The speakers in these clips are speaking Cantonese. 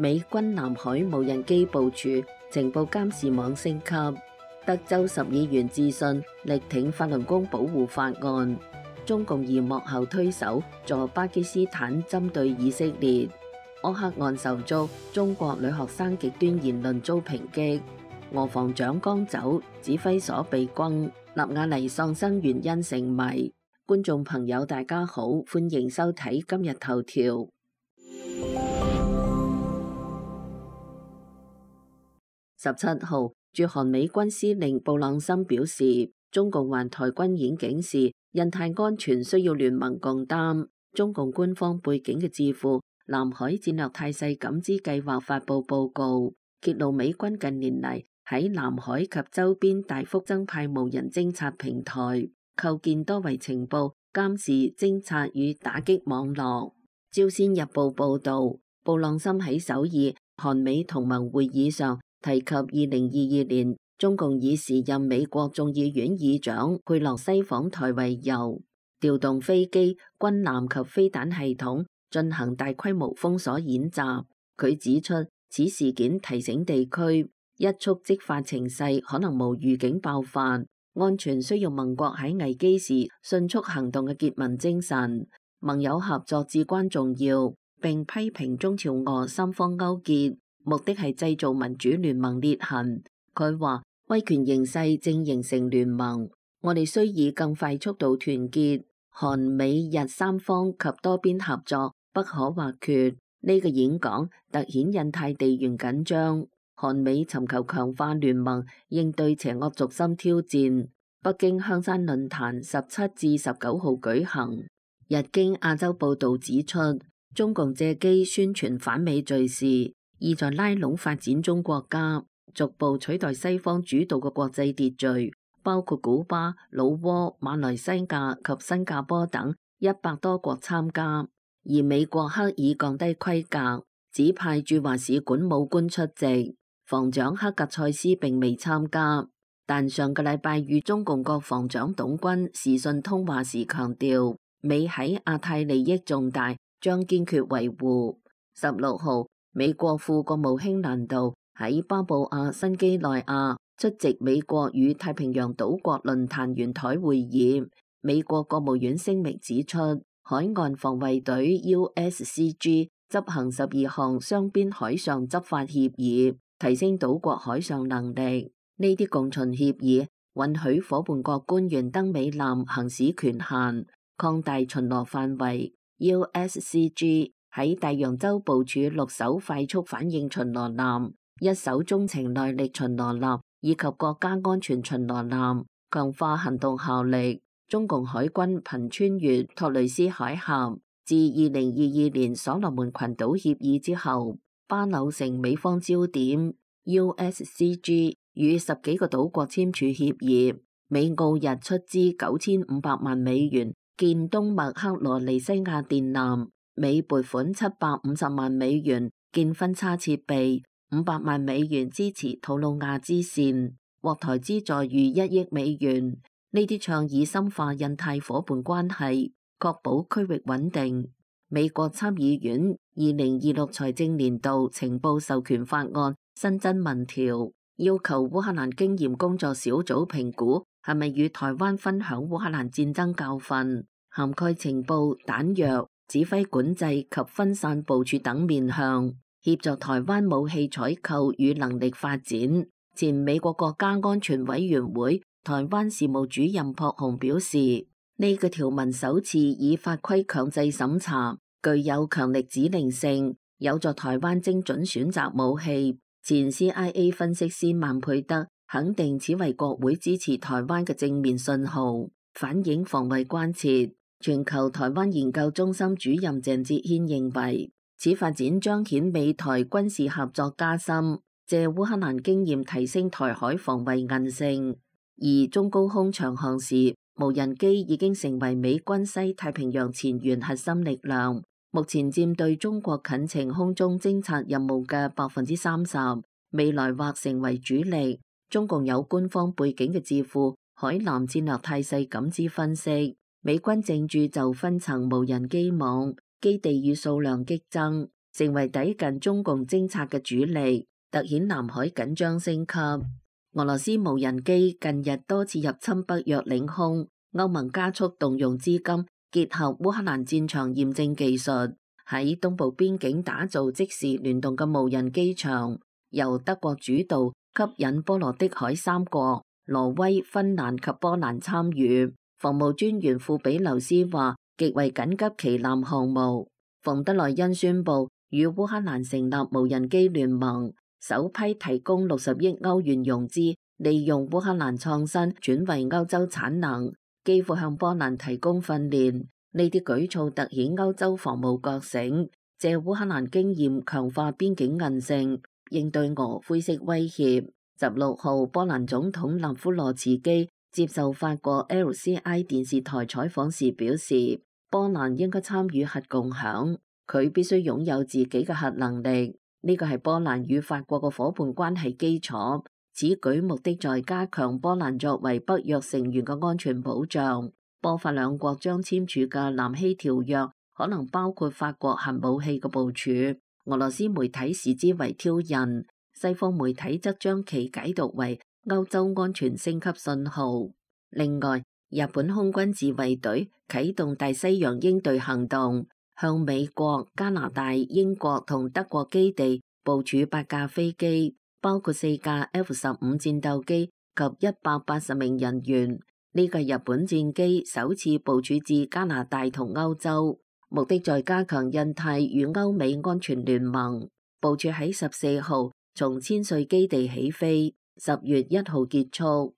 美軍南海無人機部署，情報監視網升級。德州10議員致信力挺法輪功保護法案。中共疑幕後推手助巴基斯坦針對以色列。柯克案受觸，中國女學生極端言論遭抨擊。俄防長江走，指揮所被轟。納瓦尼喪生原因成謎。觀眾朋友大家好，歡迎收睇今日頭條。17號，駐韓美軍司令布朗森表示，中共環台軍演警示，印太安全需要聯盟共擔。中共官方背景嘅智庫南海戰略態勢感知計劃發布報告，揭露美軍近年嚟喺南海及周邊大幅增派無人偵察平台，構建多維情報、監視、偵察與打擊網絡。朝鮮日報報導，布朗森喺首爾韓美同盟會議上提及2022年中共以時任美國眾議院議長佩洛西訪台為由，調動飛機、軍艦及飛彈系統進行大規模封鎖演習。佢指出，此事件提醒地區一觸即發情勢可能無預警爆發，安全需要盟國喺危機時迅速行動嘅結盟精神，盟友合作至關重要，並批評中朝俄三方勾結，目的係製造民主聯盟裂痕。佢話威權形勢正形成聯盟，我哋需以更快速度團結，韓美日三方及多邊合作不可或缺。呢個演講凸顯印太地緣緊張，韓美尋求強化聯盟應對邪惡軸心挑戰。北京香山論壇17至19號舉行。日經亞洲報導指出，中共借機宣傳反美敘事，意在拉攏發展中國家，逐步取代西方主導嘅國際秩序，包括古巴、老撾、馬來西亞及新加坡等100多國參加。而美國刻意降低規格，只派駐華使館武官出席，防長克格塞斯並未參加。但上個禮拜與中共國防長董軍視訊通話時強調，美喺亞太利益重大，將堅決維護。16號，美國副國務卿蘭道喺巴布亞新畿內亞出席美國與太平洋島國論壇圓台會議。美國國務院聲明指出，海岸防衛隊 USCG 執行12項雙邊海上執法協議，提升島國海上能力。呢啲共巡協議允許夥伴國官員登美艦行使權限，擴大巡邏範圍。USCG 喺大洋洲部署6艘快速反應巡邏艦、1艘中程耐力巡邏艦以及國家安全巡邏艦，強化行動效力。中共海軍頻穿越托雷斯海峽。自2022年所羅門群島協議之後，巴紐成美方焦點。USCG 與10幾個島國簽署協議，美澳日出資9500萬美元建東麥克羅尼西亞電纜，美撥款750萬美元建分叉設備，500萬美元支持吐魯亞支線，獲台資助逾1億美元。呢啲倡議深化印太夥伴關係，確保區域穩定。美國參議院2026財政年度情報授權法案新增民條，要求烏克蘭經驗工作小組評估係咪與台灣分享烏克蘭戰爭教訓，涵蓋情報、彈藥、指揮管制及分散部署等面向，協助台灣武器採購與能力發展。前美國國家安全委員會台灣事務主任朴鴻表示，呢個條文首次以法規強制審查，具有強力指令性，有助台灣精準選擇武器。前 CIA 分析師曼佩德肯定此為國會支持台灣嘅正面信號，反映防衛關切。全球台灣研究中心主任鄭哲軒認為，此發展彰顯美台軍事合作加深，借烏克蘭經驗提升台海防衛韌性。而中高空長航時，無人機已經成為美軍西太平洋前沿核心力量，目前佔對中國近程空中偵察任務嘅30%，未來或成為主力。中共有官方背景嘅智庫海南戰略態勢感知分析，美軍正駐就分層無人機網，基地與數量激增，成為抵近中共偵察嘅主力，凸顯南海緊張升級。俄羅斯無人機近日多次入侵北約領空，歐盟加速動用資金，結合烏克蘭戰場驗證技術，喺東部邊境打造即時聯動嘅無人機場，由德國主導，吸引波羅的海三國挪威、芬蘭及波蘭參與。防務專員庫比留斯話，極為緊急旗艦項目。馮德萊恩宣布與烏克蘭成立無人機聯盟，首批提供60億歐元融資，利用烏克蘭創新轉為歐洲產能，幾乎向波蘭提供訓練。呢啲舉措凸顯歐洲防務覺醒，借烏克蘭經驗強化邊境韌性，應對俄灰色威脅。16號，波蘭總統納夫羅茨基接受法國 LCI 電視台採訪時表示，波蘭應該參與核共享，佢必須擁有自己嘅核能力。呢個係波蘭與法國嘅夥伴關係基礎。此舉目的在加強波蘭作為北約成員嘅安全保障。波法兩國將簽署嘅南希條約可能包括法國核武器嘅部署。俄羅斯媒體視之為挑釁，西方媒體則將其解讀為歐洲安全升級信號。另外，日本空軍自衛隊啟動大西洋鷹隊行動，向美國、加拿大、英國同德國基地部署8架飛機，包括4架 F-15戰鬥機及180名人員。呢個日本戰機首次部署至加拿大同歐洲，目的在加強印太與歐美安全聯盟。部署喺14號從千歲基地起飛，10月1號結束。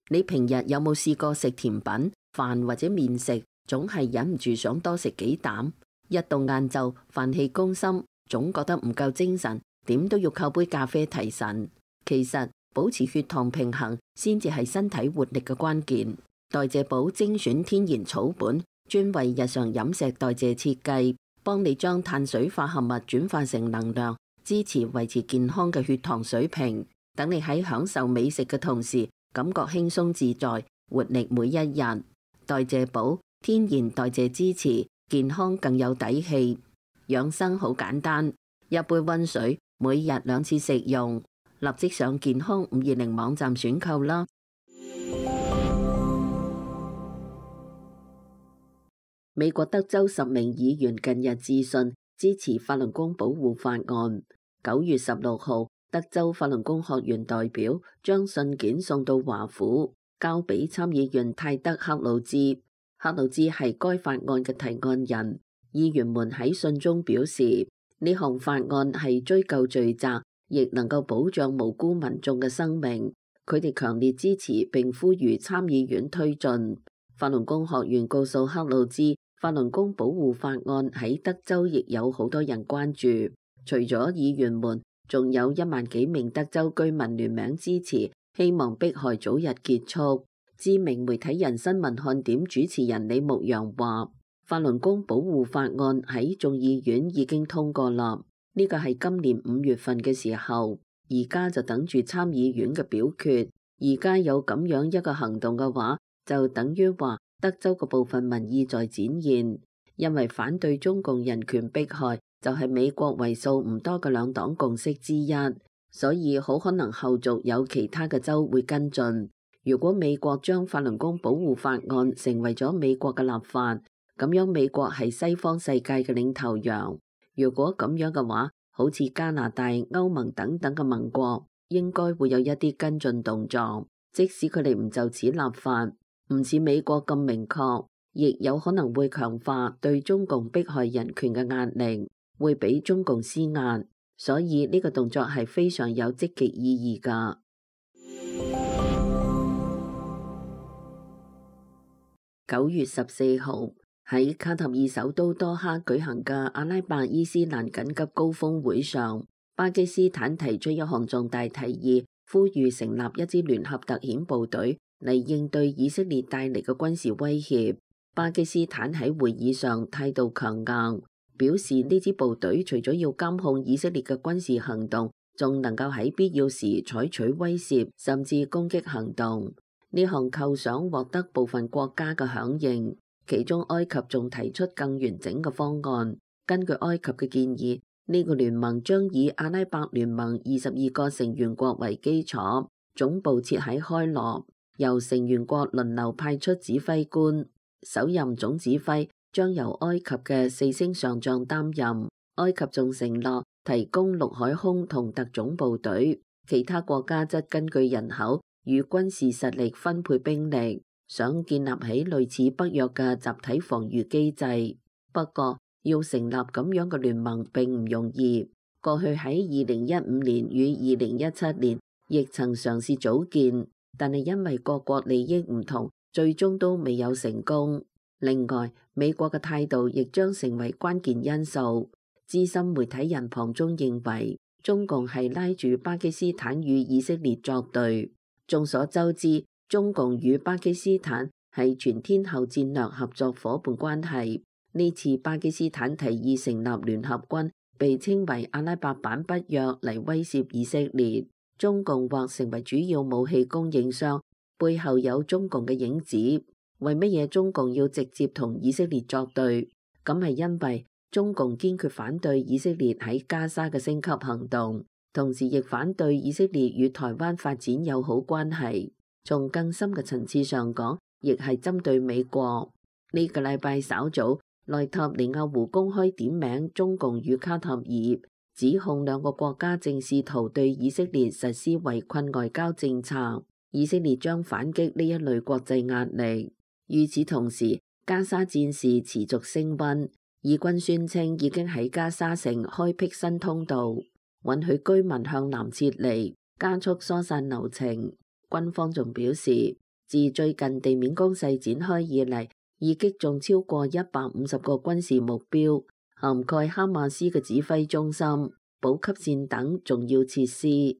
你平日有冇試過食甜品、飯或者麵食，總係忍唔住想多食幾啖？一到晏晝，飯氣攻心，總覺得唔夠精神，點都要靠杯咖啡提神。其實保持血糖平衡先至係身體活力嘅關鍵。代謝寶精選天然草本，專為日常飲食代謝設計，幫你將碳水化合物轉化成能量，支持維持健康嘅血糖水平。等你喺享受美食嘅同時，感覺輕鬆自在，活力每一日。代謝寶天然代謝支持，健康更有底氣。養生好簡單，一杯溫水，每日2次食用。立即上健康520網站選購啦！美國德州10名議員近日致信支持法輪功保護法案。9月16號，德州法輪功學員代表將信件送到華府，交俾參議員泰德克魯茲。克魯茲係該法案嘅提案人。議員們喺信中表示，呢項法案係追究罪責，亦能夠保障無辜民眾嘅生命。佢哋強烈支持並呼籲參議院推進。法輪功學員告訴克魯茲，法輪功保護法案喺德州亦有好多人關注。除咗議員們，仲有1萬幾名德州居民聯名支持，希望迫害早日結束。知名媒體人新聞看點主持人李牧陽話，法輪功保護法案喺眾議院已經通過啦。呢個係今年5月份嘅時候，而家就等住參議院嘅表決。而家有咁樣一個行動嘅話，就等於話德州嘅部分民意在展現。因為反對中共人權迫害就係美國為數唔多嘅兩黨共識之一，所以好可能後續有其他嘅州會跟進。如果美國將法輪功保護法案成為咗美國嘅立法，咁樣美國係西方世界嘅領頭羊。如果咁樣嘅話，好似加拿大、歐盟等等嘅盟國，應該會有一啲跟進動作。即使佢哋唔就此立法，唔似美國咁明確，亦有可能會強化對中共迫害人權嘅壓力，會俾中共施壓。所以呢個動作係非常有積極意義㗎。9月14號。喺卡塔爾首都多哈舉行嘅阿拉伯伊斯蘭緊急高峰會上，巴基斯坦提出一項重大提議，呼籲成立一支聯合特遣部隊嚟應對以色列帶嚟嘅軍事威脅。巴基斯坦喺會議上態度強硬，表示呢支部隊除咗要監控以色列嘅軍事行動，仲能夠喺必要時採取威懾甚至攻擊行動。呢項構想獲得部分國家嘅響應。其中埃及仲提出更完整嘅方案，根據埃及嘅建議，呢個聯盟將以阿拉伯聯盟22個成員國為基礎，總部設喺開羅，由成員國輪流派出指揮官，首任總指揮將由埃及嘅4星上將擔任。埃及仲承諾提供陸海空同特種部隊，其他國家則根據人口與軍事實力分配兵力，想建立起類似北約嘅集體防禦機制。不過，要成立咁樣嘅聯盟並唔容易。過去喺2015年與2017年亦曾嘗試組建，但係因為各國利益唔同，最終都未有成功。另外，美國嘅態度亦將成為關鍵因素。資深媒體人龐中認為，中共係拉住巴基斯坦與以色列作對。眾所周知，中共與巴基斯坦係全天候戰略合作夥伴關係。呢次巴基斯坦提議成立聯合軍，被稱為阿拉伯版北約嚟威懾以色列。中共或成為主要武器供應商，背後有中共嘅影子。為乜嘢中共要直接同以色列作對？咁係因為中共堅決反對以色列喺加沙嘅升級行動，同時亦反對以色列與台灣發展友好關係。從更深嘅層次上講，亦係針對美國。呢個禮拜稍早，內塔尼亞胡公開點名中共與卡塔爾，指控兩個國家正試圖對以色列實施圍困外交政策，以色列將反擊呢一類國際壓力。與此同時，加沙戰事持續升溫。以軍宣稱已經喺加沙城開闢新通道，允許居民向南撤離，加速疏散流程。軍方仲表示，自最近地面攻勢展開以嚟，已擊中超過150個軍事目標，涵蓋哈馬斯嘅指揮中心、補給線等重要設施。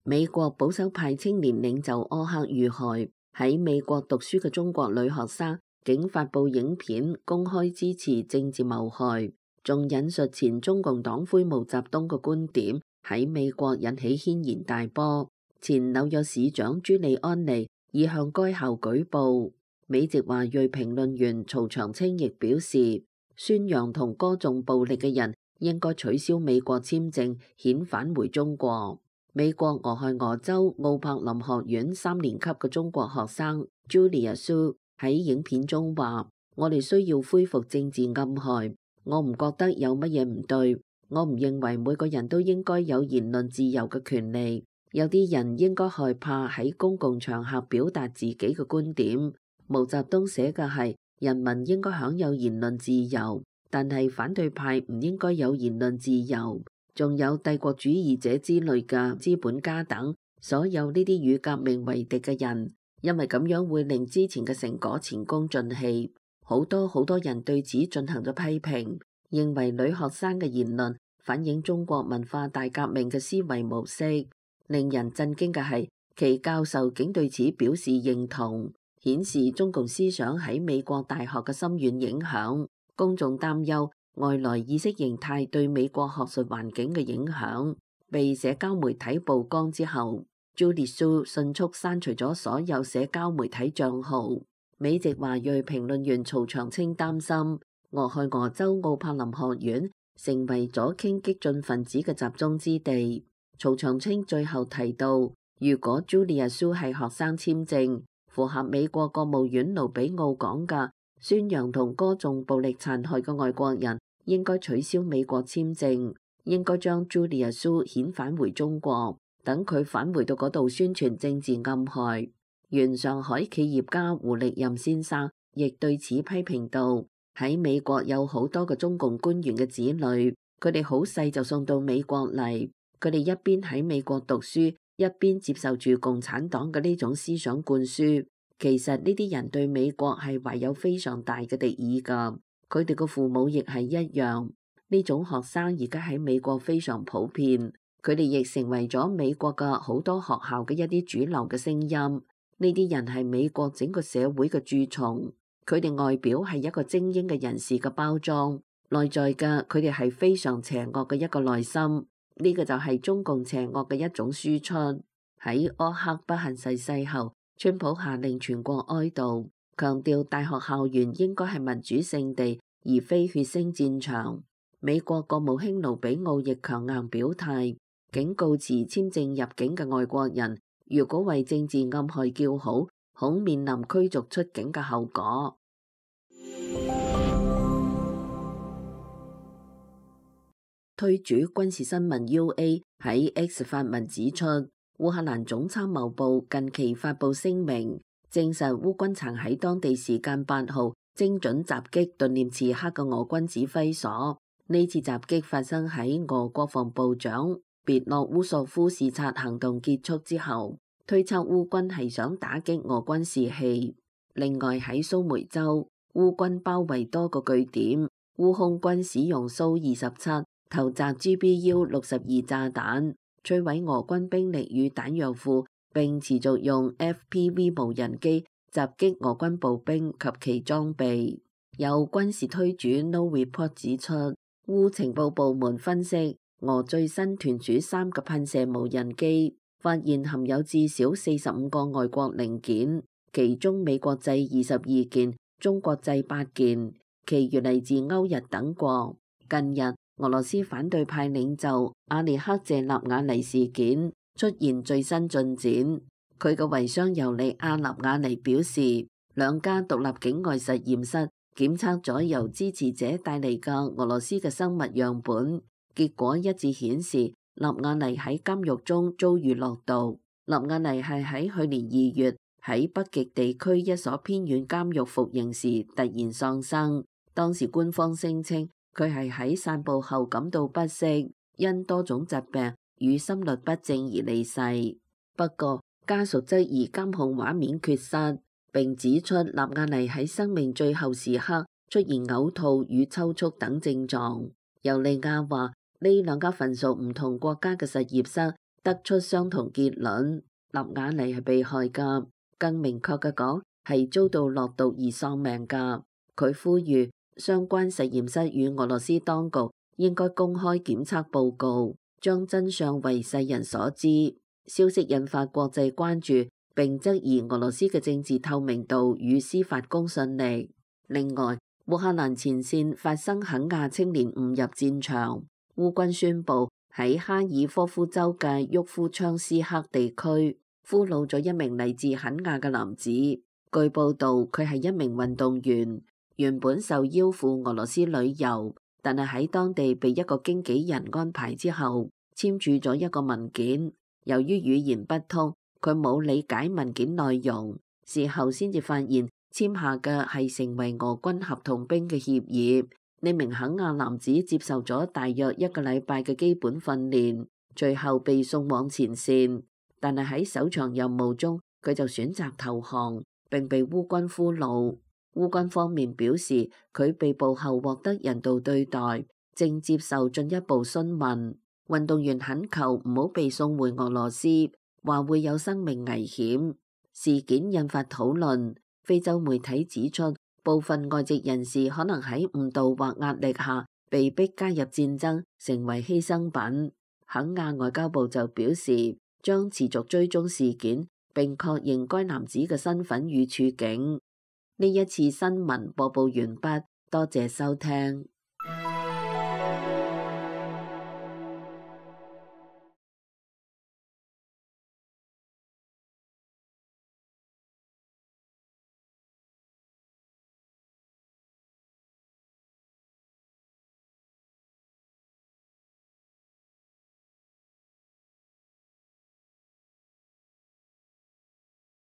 美國保守派青年領袖柯克遇害。喺美國讀書嘅中國女學生竟發布影片公開支持政治謀害，仲引述前中共黨魁毛澤東嘅觀點，喺美國引起軒然大波。前紐約市長朱利安尼已向該校舉報。美籍華裔評論員曹長青亦表示，宣揚同歌頌暴力嘅人應該取消美國簽證，遣返回中國。美國俄亥俄州奧柏林學院3年級嘅中國學生 Julia Su 喺影片中話：我哋需要恢復政治暗害，我唔覺得有乜嘢唔對，我唔認為每個人都應該有言論自由嘅權利，有啲人應該害怕喺公共場合表達自己嘅觀點。毛澤東寫嘅係人民應該享有言論自由，但係反對派唔應該有言論自由。仲有帝國主義者之類嘅資本家等，所有呢啲與革命為敵嘅人，因為咁樣會令之前嘅成果前功盡棄。好多人對此進行咗批評，認為女學生嘅言論反映中國文化大革命嘅思維模式。令人震驚嘅係，其教授竟對此表示認同，顯示中共思想喺美國大學嘅深遠影響。公眾擔憂外來意識形態對美國學術環境嘅影響。被社交媒體曝光之後，Julia Su 迅速刪除咗所有社交媒體帳號。美籍華裔評論員曹長青擔心，俄亥俄州奧柏林學院成為左傾激進分子嘅集中之地。曹長青最後提到，如果 Julia Su 係學生簽證，符合美國國務院盧比奧講嘅宣揚同歌頌暴力殘害嘅外國人應該取消美國簽證，應該將 Julia Su 遣返回中國，等佢返回到嗰度宣傳政治暗害。原上海企業家胡力任先生亦對此批評道：喺美國有好多嘅中共官員嘅子女，佢哋好細就送到美國嚟，佢哋一邊喺美國讀書，一邊接受住共產黨嘅呢種思想灌輸。其實呢啲人對美國係懷有非常大嘅敵意㗎，佢哋個父母亦係一樣。呢種學生而家喺美國非常普遍，佢哋亦成為咗美國嘅好多學校嘅一啲主流嘅聲音。呢啲人係美國整個社會嘅蛀蟲，佢哋外表係一個精英嘅人士嘅包裝，內在嘅佢哋係非常邪惡嘅一個內心。呢個就係中共邪惡嘅一種輸出。喺柯克不幸逝世後，川普下令全國哀悼，強調大學校園應該係民主聖地，而非血腥戰場。美國國務卿盧比奧亦強硬表態，警告持簽證入境嘅外國人，如果為政治暗害叫好，恐面臨驅逐出境嘅後果。推主軍事新聞 UA 喺 X 發文指出，烏克蘭總參謀部近期發布聲明，證實烏軍曾喺當地時間8號精準襲擊頓涅茨克嘅俄軍指揮所。呢次襲擊發生喺俄國防部長別洛烏索夫視察行動結束之後，推測烏軍係想打擊俄軍士氣。另外喺蘇梅州，烏軍包圍多個據點，烏空軍使用蘇27投擲 GBU-62炸彈，摧毀俄軍兵力與彈藥庫，並持續用 FPV 無人機襲擊俄軍步兵及其裝備。有軍事推主 No Report 指出，烏情報部門分析俄最新團主3個噴射無人機，發現含有至少45個外國零件，其中美國製22件，中國製8件，其餘嚟自歐日等國。近日，俄羅斯反對派領袖阿列克謝納瓦尼事件出現最新進展。佢嘅遺孀尤利亞納瓦尼表示，兩家獨立境外實驗室檢測咗由支持者帶嚟嘅俄羅斯嘅生物樣本，結果一致顯示納瓦尼喺監獄中遭遇落毒。納瓦尼係喺去年2月喺北極地區一所偏遠監獄服刑時突然喪生，當時官方聲稱佢係喺散步後感到不適，因多種疾病與心律不正而離世。不過家屬質疑監控畫面缺失，並指出納瓦尼喺生命最後時刻出現嘔吐與抽搐等症狀。尤利亞話呢兩家份屬唔同國家嘅實驗室得出相同結論，納瓦尼係被害㗎，更明確嘅講係遭到落毒而喪命㗎。佢呼籲相關實驗室與俄羅斯當局應該公開檢測報告，將真相為世人所知。消息引發國際關注，並質疑俄羅斯嘅政治透明度與司法公信力。另外，烏克蘭前線發生肯亞青年誤入戰場，烏軍宣布喺哈爾科夫州嘅沃夫昌斯克地區俘虜咗一名嚟自肯亞嘅男子。據報道，佢係一名運動員，原本受邀赴俄羅斯旅遊，但係喺當地被一個經紀人安排之後，簽署咗一個文件。由於語言不通，佢冇理解文件內容，事後先至發現簽下嘅係成為俄軍合同兵嘅協議。呢名肯亞男子接受咗大約1個禮拜嘅基本訓練，最後被送往前線，但係喺首場任務中，佢就選擇投降，並被烏軍俘虜。烏軍方面表示，佢被捕後獲得人道對待，正接受進一步詢問。運動員懇求唔好被送回俄羅斯，話會有生命危險。事件引發討論。非洲媒體指出，部分外籍人士可能喺誤導或壓力下被逼加入戰爭，成為犧牲品。肯亞外交部就表示，將持續追蹤事件，並確認該男子嘅身份與處境。呢一次新聞播報完畢，多謝收聽。